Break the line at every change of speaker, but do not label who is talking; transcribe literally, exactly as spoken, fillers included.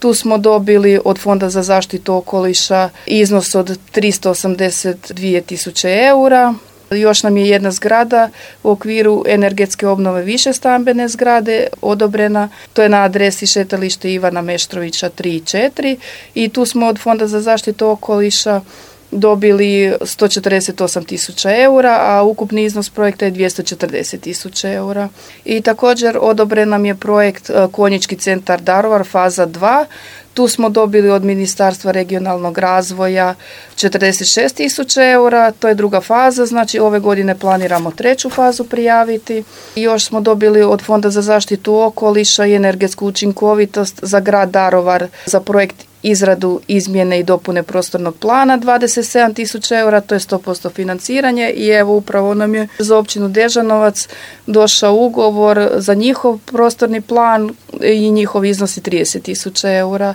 Tu smo dobili od Fonda za zaštitu okoliša iznos od tristo osamdeset dvije tisuće eura. Još nam je jedna zgrada u okviru energetske obnove višestambene zgrade odobrena. To je na adresi šetalište Ivana Meštrovića tri i četiri i tu smo od Fonda za zaštitu okoliša dobili sto četrdeset osam tisuća eura, a ukupni iznos projekta je dvjesto četrdeset tisuća eura. I također odobren nam je projekt Konjički centar Daruvar faza dva. Tu smo dobili od Ministarstva regionalnog razvoja četrdeset šest tisuća eura, to je druga faza, znači ove godine planiramo treću fazu prijaviti. I još smo dobili od Fonda za zaštitu okoliša i energetsku učinkovitost za grad Daruvar za projekt izradu izmjene i dopune prostornog plana dvadeset sedam tisuća eura, to je sto posto financiranje i evo upravo nam je za općinu Dežanovac došao ugovor za njihov prostorni plan i njihov iznos je trideset tisuća eura.